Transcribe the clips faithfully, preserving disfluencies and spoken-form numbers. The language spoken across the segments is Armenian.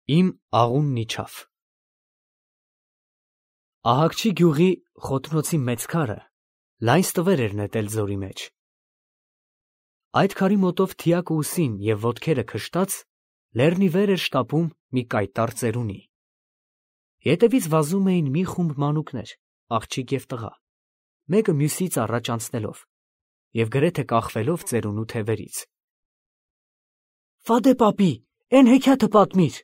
Իմ աղունն իջավ։ Ահակչի գյուղի խոտնոցի մեծ քարը լայն ստվեր էր նետել ձորի մեջ։ Այդ քարի մոտով թիակը ուսին և ոտքերը քշտած լեռնի վեր էր շտապում մի կայտառ ծերունի։ Ետևից վազում էին մի խումբ մանուկներ, աղջիկ և տղա, մեկը մյուսից առաջ անցնելով և գրեթե կախվելով ծերունու թևերից։ «Ֆադե պապի, էն հեքիաթը պատմիր»։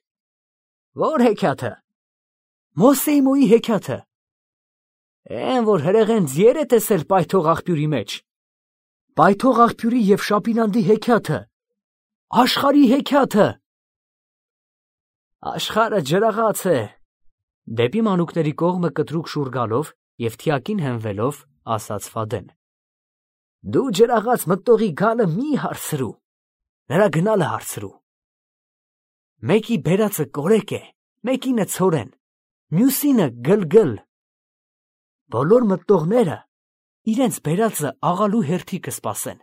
«Ո՞ր հեքիաթը»։ «Մոսեի մոյի հեքիաթը»։ «Էն, որ հրեղեն ձիեր է տեսել պայթող աղբյուրի մեջ»։ «Պայթող աղբյուրի և Շապինանդի հեքիաթը, աշխարհի հեքիաթը»։ «Աշխարհը ջրաղաց է», դեպի մանուկների կողմը կտրուկ շուռ գալով և թիակին հենվելով, ասաց Ֆադեն։ «Դու ջրաղաց մտնողի գալը մի հարցրու, նրա գնալը հարցրու։ Մեկի բերածը կորեկ է, մեկինը ցորեն, մյուսինը գլգլ։ Բոլոր մտնողները իրենց բերածը աղալու հերթի կսպասեն։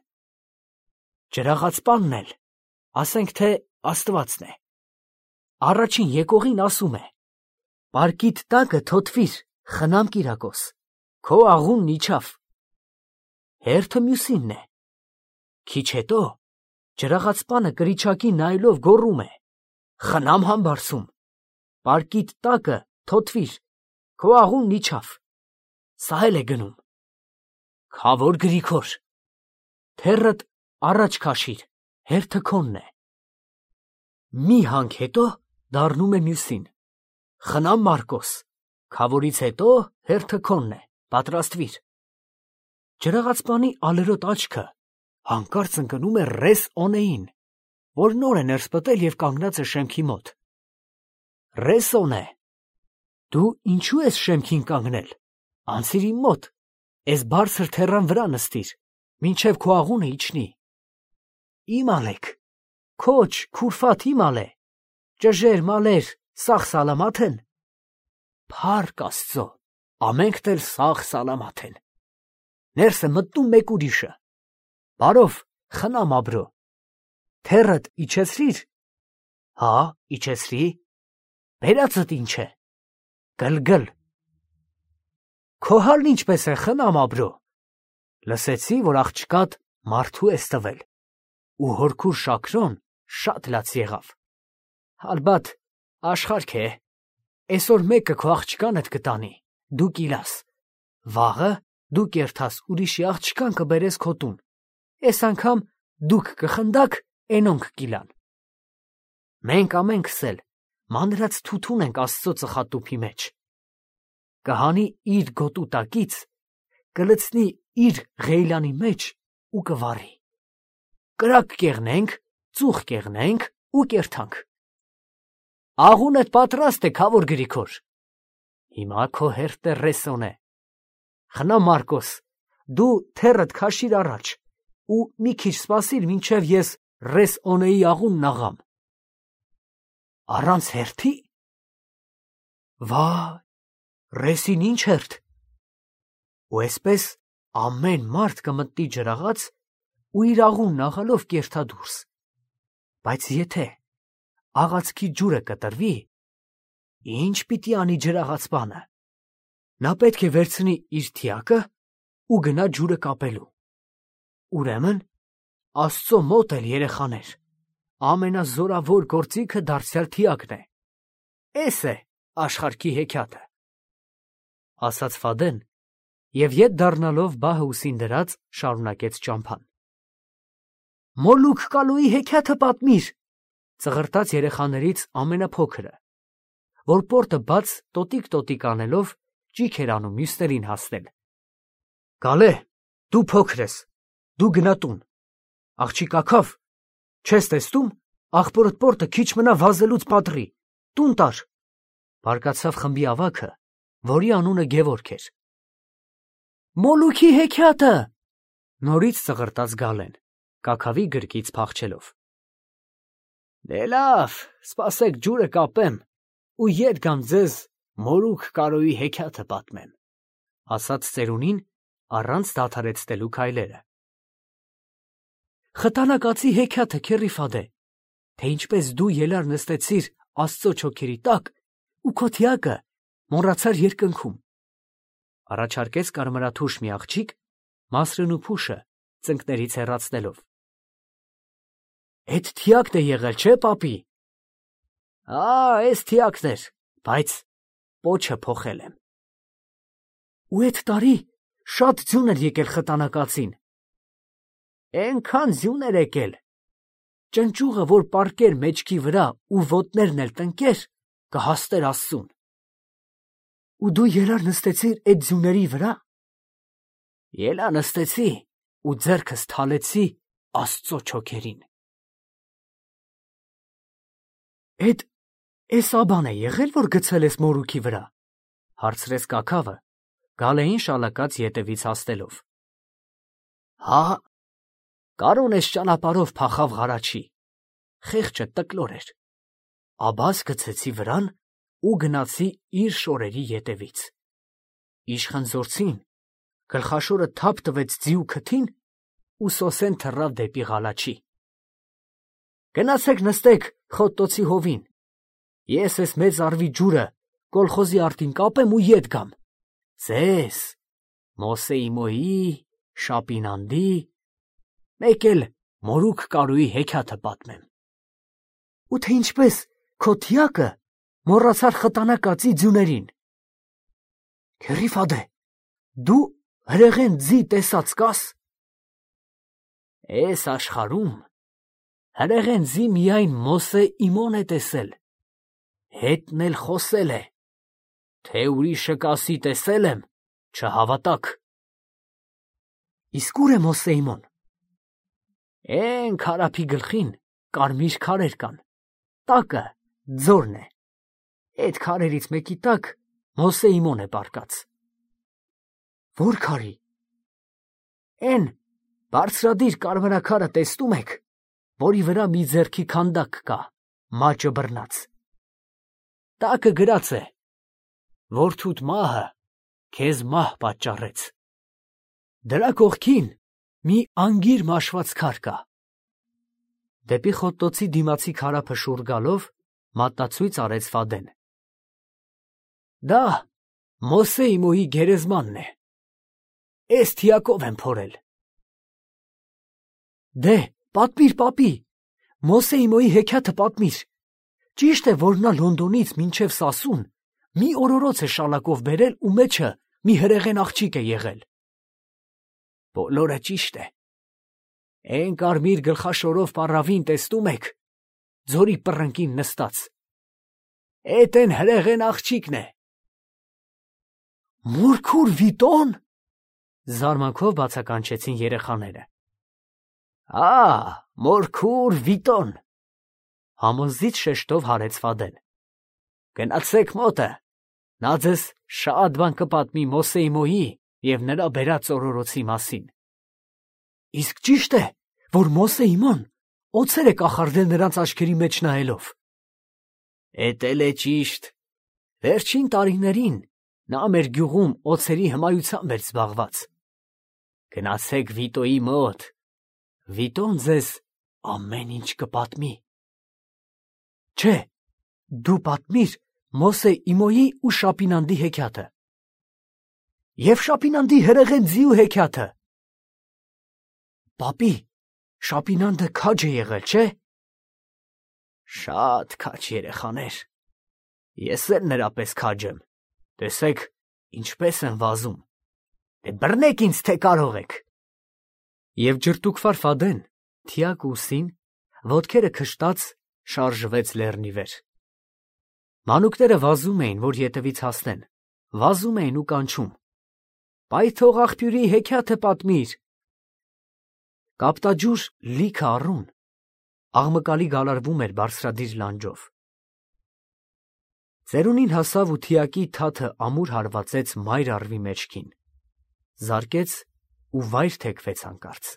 Ջրաղացպանն էլ, ասենք թե Աստվածն է, առաջին եկողին ասում է. «Պարկիդ տակը թոթվիր, խնամ Կիրակոս, քո աղունն իջավ»։ Հերթը մյուսինն է։ Քիչ հետո ջրաղացպանը կրիչակին նայելով գոռում է. «Խնամ Համբարձում, պարկիդ տակը թոթվիր, քո աղունն իջավ»։ Սա էլ է գնում։ Քավոր Գրիգոր, թեռդ առաջ քաշիր, հերթը քոնն է։ Մի հանք հետո դառնում է մյուսին. «Խնամ Մարկոս, քավորից հետո հերթը քոնն է, պատրաստվիր»։ Ջրաղացպանի ալերոտ աչքը հանկարծ ընկնում է ռես Օնեին, որ նոր է ներս պտել և կանգնած է շեմքի մոտ։ «Ռես Օնե, դու ինչու ես շեմքին կանգնել, անցիր իմ մոտ, էս բարձր թեռան վրա նստիր, մինչև քո աղունը իջնի»։ «Իմալեք, քոչ, քուրֆատ իմալե, ճժեր, մալեր, սաղ սալամաթ են»։ Փառք Աստծո, ամենքդ էլ սաղ սալամաթ են։ Ներս է մտնում մեկ ուրիշը. «Բարով, խնամ Աբրո, թեռդ իջեցրի՞ր»։ «Հա, իջեցրի»։ «Բերածդ ինչ է»։ «Գլգլ»։ «Քո հալն ինչպես է, խնամ Աբրո»։ «Լսեցի, որ աղջկադ մարդու ես տվել, ու հորքուր Շաքրոն շատ լաց եղավ»։ «Ալբաթ, աշխարհք է, էսօր մեկը քո աղջկանդ կտանի, դու կիլաս, վաղը դու կերթաս ուրիշի աղջկան կբերես քո տուն, էս անգամ դուք կխնդաք, էնոնք կիլան»։ «Մենք ամենքս էլ մանրած թութուն ենք Աստծո ծխատուփի մեջ։ Կհանի իր գոտու տակից, կլցնի իր ղեյլանի մեջ ու կվառի։ Կրակ կեղնենք, ծուխ կեղնենք ու կերթանք»։ «Աղունդ պատրաստ է, քավոր Գրիգոր»։ «Հիմա քո հերթն է, ռես Օնե։ Խնամ Մարկոս, դու թեռդ քաշիր առաջ ու մի քիչ սպասիր, մինչև ես ռես Օնեի աղունն աղամ»։ «Առանց հերթի»։ «Վայ, ռեսին ինչ հերթ»։ «Ու էսպես ամեն մարդ կմտնի ջրաղաց ու իր աղունն աղալով կերթա դուրս։ Բայց եթե աղացքի ջուրը կտրվի, ի՞նչ պիտի անի ջրաղացպանը։ Նա պետք է վերցնի իր թիակը ու գնա ջուրը կապելու։ Ուրեմն Աստծո մոտ էլ, երեխաներ, ամենազորավոր գործիքը դարձյալ թիակն է։ Էս է աշխարհքի հեքիաթը»։ Ասաց Ֆադեն և ետ դառնալով բահը ուսին դրած, շարունակեց ճամփան։ «Մոլուք Կալոյի հեքիաթը պատմիր», ծղրտաց երեխաներից ամենափոքրը, որ պորտը բաց տոտիկ-տոտիկ անելով ճիգ էր անում մյուսներին հասնել։ «Գալե, դու փոքր ես, դու գնա տուն։ Աղջիկ աքավ, չես տեսնում, աղբորդ պորտը քիչ մնա վազելուց պատռի, տուն տար», բարկացավ խմբի ավագը, որի անունը Գևորգ էր։ «Մոլուքի հեքիաթը», նորից ծղրտաց Գալեն, կաքավի գրկից փախչելով։ «Դե լավ, սպասեք ջուրը կապեմ ու ետ գամ ձեզ Մոլուք Կալոյի հեքիաթը պատմեմ», ասաց ծերունին առանց դադարեցնելու քայլերը։ «Խտանակացի հեքիաթը, քեռի Ֆադե, թե ինչպես դու ելար նստեցիր Աստծո չոքերի տակ ու քո թիակը մոռացար երկնքում։ Առաջարկեց կարմրաթուշ մի աղջիկ, Մասրն ու Փուշը ծնկներից հեռացնելով։ Էդ թիակն է եղել, չէ, պապի։ Ա, էս թիակն էր, բայց պոչը փոխել եմ։ Ու էդ տարի շատ ձյուն էր եկել խտանակածին։ Էնքան ձյուն էր եկել, ճնճուղը, որ պառկեր մեջքի վրա ու ոտներն էլ տնկեր, կհասներ Աստծուն։ Ու դու երար նստեցիր էդ ձյուների վրա։ Ելա նստեցի ու ձեռքս թալեցի Աստծո չոքերին։ Էդ էս աբան է եղել, որ գցել ես մորուքի վրա, հարցրեց կաքավը, գալեին շալակած ետևից հասնելով։ Հա, կարոն էս ճանապարհով փախավ Ղարաչի, խեղճը տկլոր էր, աբաս գցեցի վրան ու գնացի իր շորերի ետևից։ Իշխանձորցին գլխաշորը թափ տվեց ձիու քթին ու սոսեն թռավ դեպի Ղալաչի։ Գնացեք նստեք խոտտոցի հովին, ես էս մեծ արվի ջուրը կոլխոզի արտին կապեմ ու ետ գամ, ձեզ, Մոսեի մոյի, Շապինանդի, մեկ էլ մորուք կարուի հեքիաթը պատմեմ։ Ու թե ինչպես քո թիակը մոռացար խտանակածի ձյուներին։ Քերիֆադե, դու հրեղեն ձի տեսած կաս։ Էս աշխարհում հրեղեն ձի միայն Մոսե իմոն է տեսել, հետն էլ խոսել է, թե ուրիշը կասի տեսել եմ, չհավատաք։ Իսկ ուր է Մոսե իմոն։ Էն քարափի գլխին կարմիր քարեր կան, տակը ձորն է, այդ քարերից մեկի տակ Մոսե իմոն է պառկած։ Որ քարի։ Էն բարձրադիր կարմրաքարը տեսնում եք, որի վրա մի ձեռքի քանդակ կա, մաճը բռնած։ Տակը գրած է. Որդուդ մահը քեզ մահ պատճառեց։ Դրա կողքին մի անգիր մաշված քար կա։ Դեպի խոտտոցի դիմացի քարափը շուռ գալով մատնացույց արեց Ֆադեն։ Դա Մոսեի մոյի գերեզմանն է։ Էս թիակով եմ փորել։ Դե, պատմիր, պապի, Մոսեի մոյի հեքիաթը պատմիր։ Ճիշտ է, որ նա Լոնդոնից մինչև Սասուն մի օրորոց է շալակով բերել ու մեջը մի հրեղեն աղջիկ է եղել։ Բոլորը ճիշտ է։ Էն կարմիր գլխաշորով պառավին տեսնում եք, ձորի պռնկին նստած։ Էդ էն հրեղեն աղջիկն է։ Մորքուր Վիտոն, զարմանքով բացականչեցին երեխաները։ Ա, մորքուր Վիտոն, համոզիչ շեշտով հարեց Ֆադեն։ Գնացեք մոտը, նա ձեզ շատ բան կպատմի Մոսեի մոյի և նրա բերած օրորոցի մասին։ Իսկ ճիշտ է, որ Մոսեի ման օձեր է կախարդել նրանց աչքերի մեջ նայելով։ Էդ էլ է ճիշտ։ Վերջին տարիներին նա մեր գյուղում օձերի հմայությամբ էր զբաղված։ Գնացեք Վիտոյի մոտ, Վիտոն ձեզ ամեն ինչ կպատմի։ Չէ, դու պատմիր Մոսե Իմոյի ու Շապինանդի հեքիաթը։ Եվ Շապինանդի հրեղեն ձիու հեքիաթը։ Պապի, Շապինանդը քաջ է եղել, չէ։ Շատ քաջ երեխաներ։ Ես էլ նրա պես քաջ եմ։ Տեսեք, ինչպես եմ վազում։ Դե բռնեք ինձ, թե կարող եք։ Եվ ջրտուկվար Ֆադեն, թիակ ուսին, ոտքերը քշտած, շարժվեց լեռնի վեր։ Մանուկները վազում էին, որ ետևից հասնեն, վազում էին ու կանչում. Պայթող աղբյուրի հեքիաթը պատմիր։ Կապտաջուր լիքը առուն, աղմկալի գալարվում էր բարձրադիր լանջով։ Ծերունին հասավ ու թիակի թաթը ամուր հարվածեց մայր առվի մեջքին, զարկեց ու վայր թեքվեց հանկարծ։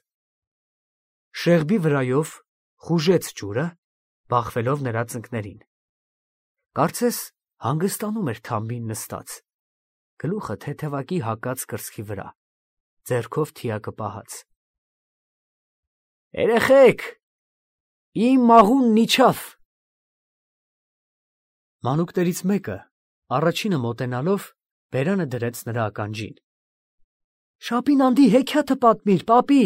Շեղբի վրայով խուժեց ջուրը, բախվելով նրա ծնկներին։ Կարծես հանգստանում էր թամբին նստած, գլուխը թեթևակի հակած կրծքի վրա, ձեռքով թիակը պահած։ Երեխեք, իմ մաղունն իջավ։ Մանուկներից մեկը առաջինը մոտենալով բերանը դրեց նրա ականջին։ Շապինանդի հեքիաթը պատմիր, պապի։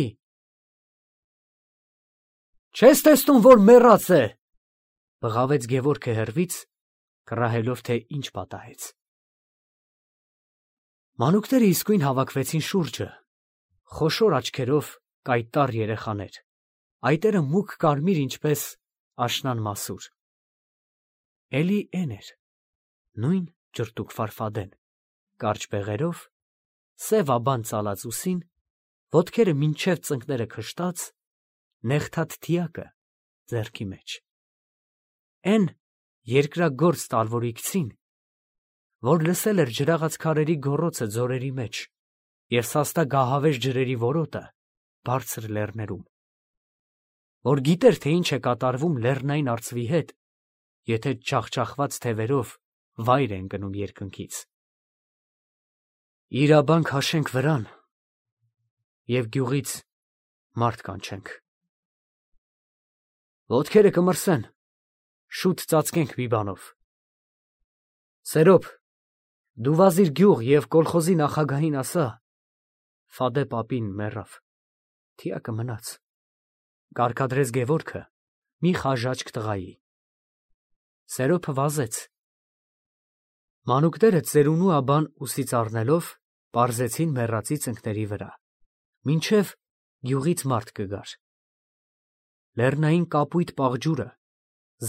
Չես տեսնում, որ մեռած է, բղավեց Գևորգը հեռվից, կռահելով, թե ինչ պատահեց։ Մանուկները իսկույն հավաքվեցին շուրջը, խոշոր աչքերով կայտառ երեխաներ, այտերը մուգ կարմիր ինչպես աշնան մասուր։ Էլի էն էր, նույն ջրտուկ Ֆարֆադեն, կարճ բեղերով, սև աբան ծալած ուսին, ոտքերը մինչև ծնկները քշտած, նեղթած թիակը ձեռքի մեջ։ Էն երկրագործ տալվորիկցին, որ լսել էր ջրաղաց քարերի գոռոցը ձորերի մեջ և սաստա գահավեժ ջրերի որոտը բարձր լեռներում, որ գիտեր, թե ինչ է կատարվում լեռնային արծվի հետ, եթե ջախջախված թևերով վայր է ընկնում երկնքից։ Իրաբան քաշենք վրան և գյուղից մարդ կանչենք։ Ոտքերը կմրսեն, շուտ ծածկենք մի բանով։ Սերոբ, դու վազիր գյուղ և կոլխոզի նախագահին ասա, Ֆադե պապին մեռավ, թիակը մնաց, կարգադրեց Գևորգը մի խաժաճք տղայի։ Սերոբը վազեց։ Մանուկները ծերունու աբան ուսից առնելով, պարզեցին մեռածի ծնկների վրա, մինչև գյուղից մարդ կգար։ Լեռնային կապույտ պաղջուրը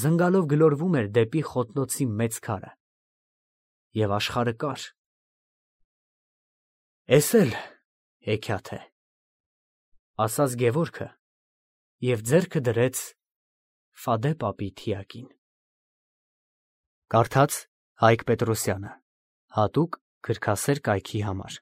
զնգալով գլորվում էր դեպի խոտնոցի մեծ քարը։ Եվ աշխարհը կար։ Էս էլ հեքիաթ է, ասաց Գևորգը և ձեռքը դրեց Ֆադե պապի թիակին։ Կարդաց Հայկ Պետրոսյանը, հատուկ գրքասեր կայքի համար։